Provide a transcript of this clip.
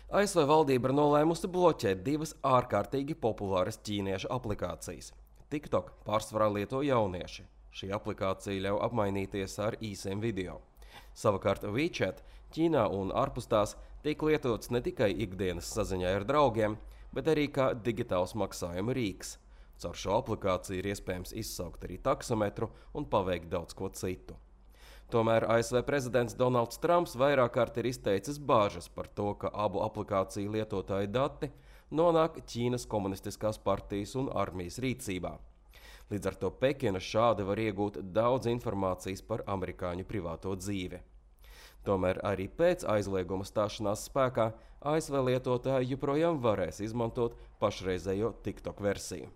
ASV valdība ir nolēmusi bloķēt divas ārkārtīgi populāras ķīniešu aplikācijas. TikTok pārsvarā lieto jaunieši. Šī aplikācija ļauj apmainīties ar īsiem video. Savukārt WeChat Ķīnā un ārpus tās tiek lietots ne tikai ikdienas saziņai ar draugiem, bet arī kā digitāls maksājuma rīks. Caur šo aplikāciju ir iespējams izsaukt arī taksometru un paveikt daudz ko citu. Tomēr ASV prezidents Donalds Trumps vairāk kārt ir izteicis bāžas par to, ka abu aplikāciju lietotāju dati nonāk Ķīnas komunistiskās partijas un armijas rīcībā. Līdz ar to Pekina šādi var iegūt daudz informācijas par amerikāņu privāto dzīvi. Tomēr arī pēc aizlieguma stāšanās spēkā ASV lietotāji joprojām varēs izmantot pašreizējo TikTok versiju.